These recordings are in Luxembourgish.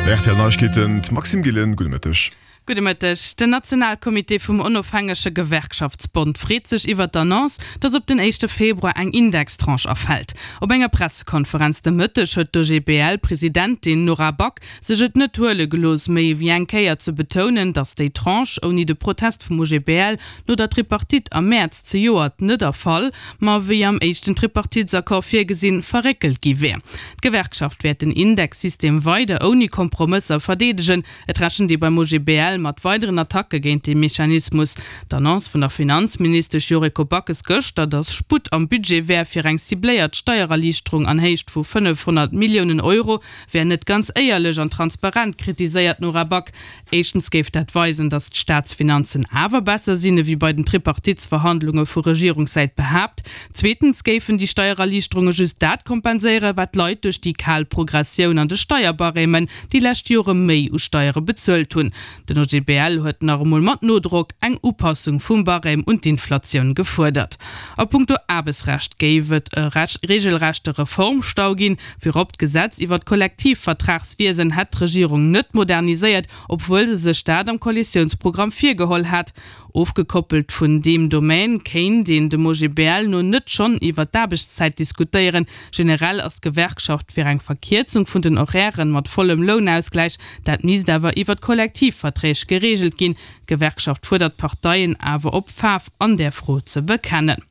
Rtl Neiegkeeten, d'Maxime Gillen, gudde Mëtteg. Gudde Mëtteg. Den Nationalcomité vum Onofhängege Gewerkschaftsbond freet sech iwwert d'Annonce, datt op den éischte Februar eng Indextranche erfält. Op enger Pressekonferenz de Mëtteg huet d'OGBL-Presidentin Nora Back sech et net huele gelooss, méi ewéi eng Kéier ze betounen, datt déi Tranche ouni de Protest vum OGBL no der Tripartite am Mäerz zejoert net erfall, ma wéi am éischten Tripartitesaccord virgesinn, verréckelt gi wär. D'Gewerkschaft wäert den Indexsystem weider ouni Kompromësser verdeedegen. Et rechent ee beim OGBL mat weideren Attacke géint dee Mechanismus. D'Annonce vun der Finanzministesch Yuriko Backes gëschter, datt Sputt am Budget wär fir eng cibléiert Steiererliichterung an Héicht vu 500 Milliounen Euro, wär net ganz éierlech an transparent, kritiséiert d'Nora Back. Éischtens géif dat weisen, datt d'Staatsfinanzen awer besser sinn, ewéi bei den Tripartitsverhandlunge vu Regierungssäit behaapt. Zweetens géifen déi Steiererliichterunge just dat kompenséieren, wat d'Leit duerch déi kal Progressioun an de Steierbarèmen déi lescht Jore méi u Steiere bezuelt hunn. Den OGBL huet nach emol mat Nodrock eng Upassung vum Barème un d'Inflatioun gefuerdert. A punkto Aarbechtsrecht géif et e reegelrechte Reformstau ginn. Virop d'Gesetz iwwer d'Kollektivvertragswiesen hätt d'Regierung net moderniséiert, obwuel se sech dat am Koalitiounsprogramm virgeholl hat. Ofgekoppelt vun deem Domaine kéint een dem OGBL no net schonn iwwer d'Aarbechtszäit diskutéieren. Generell ass d'Gewerkschaft fir eng Verkierzung vun den Horairen mat vollem Lounausgläich. Dat misst awer iwwer d'Kollektivverträg gereegelt ginn. D'Gewerkschaft fuerdert d'Parteien awer op, Faarf an där Fro ze bekennen.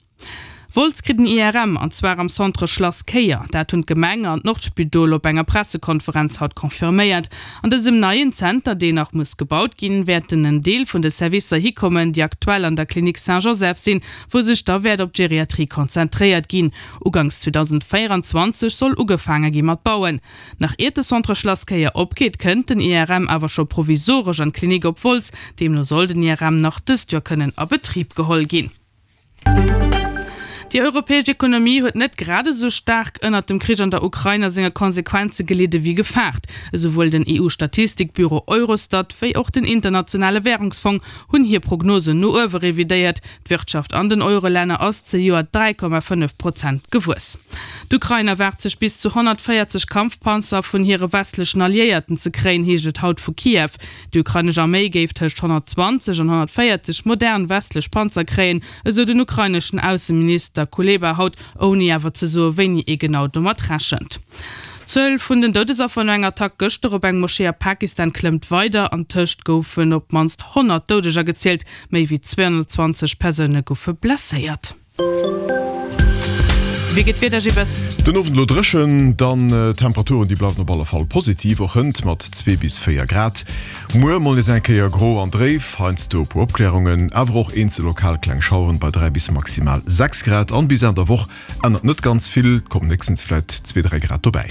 Wolz kritt en IRM, an zwar am Centre Schlass Kéier. Dat hunn d'Gemeng an d'Nordspidol op enger Pressekonferenz haut confirméiert. An dësem neien Zenter, deen nach muss gebaut ginn, wäerten en Deel vun de Servicer hikommen, déi aktuell an der Clinique Saint-Joseph sinn, wou sech da wäert op d'Geriatrie konzentréiert ginn. Uganks 2024 soll ugefaange gi mat bauen. Nach iert de Centre Schlass Kéier opgeet, kënnt den IRM awer scho provisoresch an d'Klinik op Wolz. Deemno soll den IRM nach dëst Joer kënnen a Betrib geholl ginn. Déi europäesch Ekonomie huet net grad esou staark ënnert dem Krich an der Ukrain a senge Konsequenze gelidde wéi gefaart. Esouwuel den EU-Statistikbüro Eurostat wéi och den Internationale Wärungsfong hunn hir Prognosen no uewe revidéiert. D'Wirtschaft an den Eurolänner ass zejoert 3,5 Prozent gewuess. D'Ukrain erwaart sech bis zu 140 Kampfpanzer vun hire westlechen Alliéierten ze kréien, heescht et haut vu Kiew. Déi ukrainesch Arméi géif tëscht 120 an 140 modern westlech Panzer kréien, esou den ukraineschen Ausseminister Kuleba haut, ouni awer ze soe wéini ee genau domat rechent. D'Zuel vun den Doudesaffer no enger Attack gëschter op eng Moschee a Pakistan klëmmt weider. An tëscht goufen op d'mannst 100 Doudeger gezielt, méi wéi 220 Persoune goufe blesséiert. Wéi gëtt d'Wieder, Gilles? Den Owend elo dréchen, dann d'Temperaturen déi bleiwen op alle Fall positiv, och hënt mat 2 bis 4 Grad. Muer mol nees eng Kéier gro an dréif, heiansdo e puer Opklärungen, awer och eenzel lokal kleng Schaueren bei 3 bis maximal 6 Grad. An bis Enn der Woch ännert net ganz vill, et kommen héchstens vläit 2, 3 Grad dobäi.